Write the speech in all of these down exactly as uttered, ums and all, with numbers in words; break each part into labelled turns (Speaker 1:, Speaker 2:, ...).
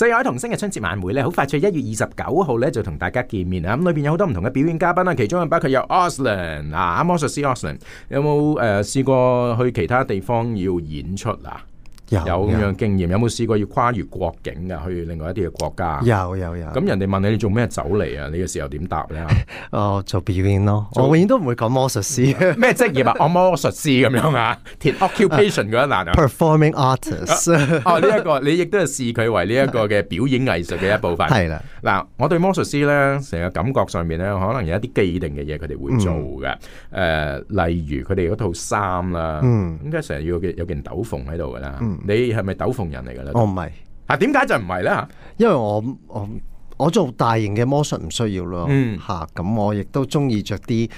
Speaker 1: 四海同聲嘅春節晚會咧，好快脆一月二十九號咧就同大家見面啊！咁裏邊有好多唔同嘅表演嘉賓啦，其中包括有 Auslan 啊，魔術師 Auslan， 有冇誒、呃、試過去其他地方要演出啊？有咁樣經驗，有冇試過要跨越國境噶，去另外一啲嘅國家？
Speaker 2: 有有有。咁
Speaker 1: 人哋問你你做咩走嚟啊？你嘅時候點答咧？
Speaker 2: 哦，做表演咯。我永遠都唔會講魔術師。
Speaker 1: 咩職業啊？我魔術師咁樣啊？填 occupation 嗰一欄啊
Speaker 2: ？Performing artist。
Speaker 1: 哦，呢、這、一個你亦都係視佢為呢一個嘅表演藝術嘅一部分。係啦。嗱，我對魔術師咧，成個感覺上面咧，可能有一啲既定嘅嘢佢哋會做嘅。誒、嗯呃，例如佢哋嗰套衫啦，嗯，應該成日要有件斗篷喺度噶啦。嗯你係咪斗篷人嚟噶咧？
Speaker 2: 我唔係。
Speaker 1: 啊，點解就唔係咧？
Speaker 2: 因為我我我做大型嘅魔術唔需要咯。嗯，吓咁我亦都中意着啲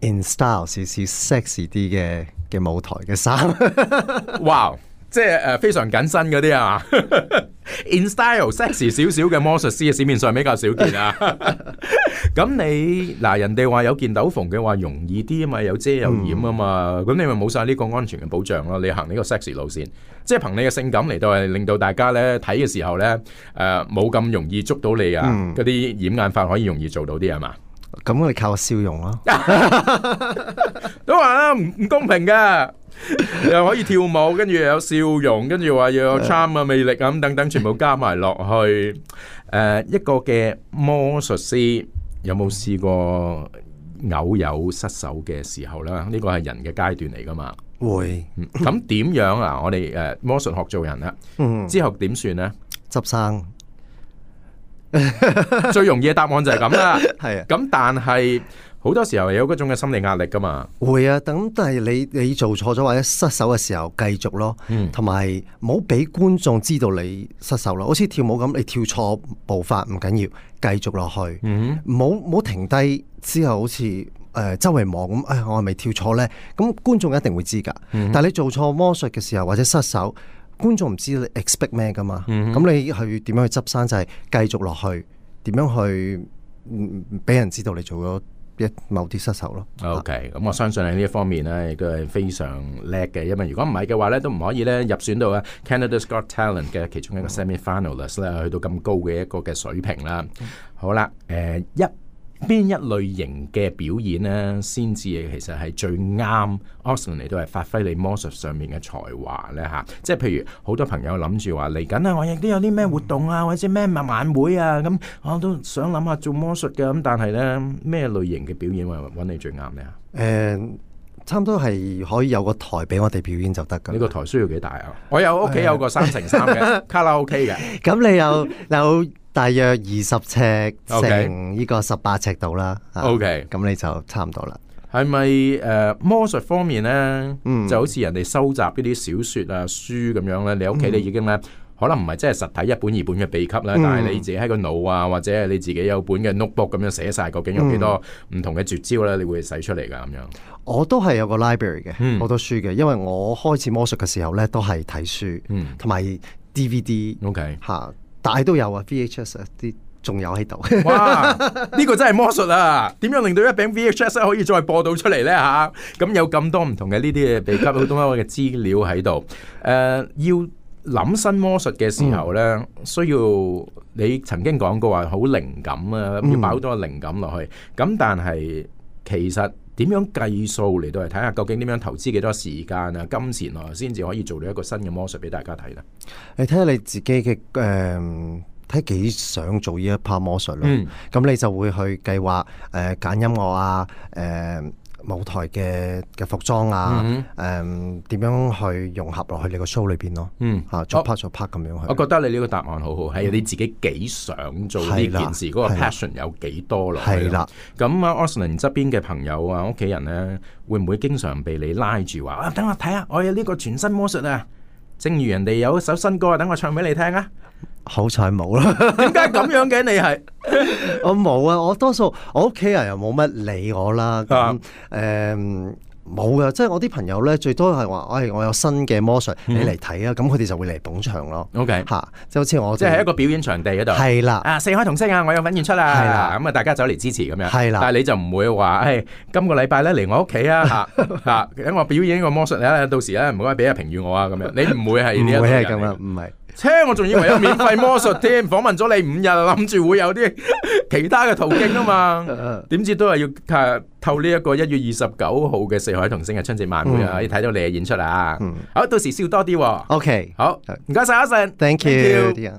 Speaker 2: in style 少少 sexy 啲嘅嘅舞台嘅衫。
Speaker 1: 哇！即係誒非常緊身嗰啲啊，in style sexy 少少嘅魔術師嘅市面上比較少見啊。咁你嗱人哋話有件斗篷嘅話容易啲啊嘛，有遮有掩啊嘛，咁、嗯、你咪冇晒呢個安全嘅保障咯。你行呢個 sexy 路線，即係憑你嘅性感嚟到係令到大家咧睇嘅時候咧誒冇咁容易捉到你啊，嗰、嗯、啲掩眼法可以容易做到啲係嘛？
Speaker 2: 咁我哋靠個笑容咯。
Speaker 1: 都話啦，唔唔公平㗎。又可以跳舞，跟住又有笑容，跟住話又有 charm 啊、魅力啊咁等等，全部加埋落去。誒、呃，一個嘅魔術師有冇試過偶有失手嘅時候啦？呢個係人嘅階段嚟噶嘛？會。咁點、嗯、樣啊？我哋誒、呃、魔術學做人啦，嗯、之後點算呢？
Speaker 2: 執生。
Speaker 1: 最容易嘅答案就係咁啦。係啊。咁但係。好多時候有嗰種嘅心理壓力噶嘛，
Speaker 2: 會啊，咁但係你你做錯咗或者失手嘅時候繼續咯，同埋唔好俾觀眾知道你失手咯，好似跳舞咁，你跳錯步伐唔緊要，繼續落去，唔好唔好停低之後好似誒、呃、周圍望咁，誒、哎、我係咪跳錯呢？咁觀眾一定會知噶，嗯、但係你做錯魔術嘅時候或者失手，觀眾唔知你 expect 咩噶嘛，咁、嗯、你去點樣去執生就係繼續落去，點樣去俾人知道你做咗一某啲失手咯。
Speaker 1: OK，咁我相信喺呢一方面咧，亦都係非常叻嘅。因為如果唔係嘅話咧，都唔可以咧入選到啊 Canada's Got Talent 嘅其中一個 semi-finalist 咧，去到咁高嘅一個嘅水平啦。好啦，誒、呃、一邊一類型嘅表演咧，先至其實係最啱 Auslan 嚟到係發揮你魔術上面嘅才華咧嚇。即係譬如好多朋友諗住話嚟緊啊，我亦都有啲咩活動啊，或者咩晚會啊，咁我都想諗下做魔術嘅。咁但係咧咩類型嘅表演揾你最啱咧？誒、
Speaker 2: 呃，差唔多係可以有個台俾我哋表演就得㗎。
Speaker 1: 呢個台需要幾大啊？我有屋企有個三乘三嘅卡拉 OK 嘅。
Speaker 2: 咁你有有？大約二十尺乘呢個十八尺度啦。
Speaker 1: OK，
Speaker 2: 咁你就差唔多啦。
Speaker 1: 係咪誒魔術方面咧，嗯、就好似人哋收集呢啲小說啊書咁樣咧？你屋企你已經咧，嗯、可能唔係真係實體一本二本嘅秘笈啦，嗯、但係你自己喺個腦啊，或者係你自己有本嘅 notebook 咁樣寫晒，究竟有幾多唔同嘅絕招咧？你會使出嚟噶咁樣？
Speaker 2: 我都係有個 library 嘅，好、嗯、多書嘅，因為我開始魔術嘅時候咧，都係睇書，同埋 D V D，OK 吓。但係都有啊 V H S 啲仲有喺度。
Speaker 1: 哇！呢、這個真係魔術啊！點樣令到一餅 V H S 可以再播到出嚟呢？吓、啊？咁有咁多唔同嘅呢啲嘅秘笈，好多嘅資料喺度。誒、呃，要諗新魔術嘅時候呢，嗯、需要你曾經講過話好靈感啊，要擺好多靈感落去。咁、嗯、但係其實點樣計數嚟到嚟睇下，究竟點樣投資幾多時間啊、金錢啊，先至可以做到一個新嘅魔術俾大家睇呢？
Speaker 2: 你睇下你自己嘅誒，睇幾想做呢一 part 魔術咯。咁、嗯、你就會去計劃誒揀音樂啊，誒、呃、舞台嘅嘅服裝啊，誒點、嗯呃、樣去融合落去你個 show 裏邊咯。嗯，嚇做 part 做 part 咁樣去。
Speaker 1: 我覺得你呢個答案好好，係、嗯、你自己幾想做呢件事，嗰個 passion 有幾多咯。係啦，咁啊 Auslan 側邊嘅朋友啊、屋企人咧，會唔會經常被你拉住話啊？等我睇下，我有呢個全新魔術啊！正如人哋有一首新歌啊，等我唱俾你聽啊！
Speaker 2: 好彩冇啦，
Speaker 1: 點解咁樣嘅？你係
Speaker 2: 我冇啊！我多數我屋企人又冇乜理我啦。咁誒冇噶，即係我啲朋友咧，最多係話，哎，我有新嘅魔術，你嚟睇啊！咁佢哋就會嚟捧場咯。OK，吓，即係好似我，
Speaker 1: 即係喺一個表演場地嗰度。係啦，啊，四海同聲啊，我有份演出啦。係啦，咁啊，大家走嚟支持咁樣。係啦，但係你就唔會話，誒，今個禮拜咧嚟我屋企啊，吓吓，等我表演個魔術咧，到時咧唔該俾下評語我啊，咁樣。你唔會係呢一個人。唔會係咁啊，唔係。車我仲以為有免費魔術添，訪問咗你五日，諗住會有啲其他嘅途徑啊嘛，點知都係要誒透呢一個一月二十九號嘅四海同聲嘅春節晚會啊，可以睇到你嘅演出啊。好，到時笑多啲。
Speaker 2: OK，
Speaker 1: 好，唔該晒阿成
Speaker 2: ，Thank you。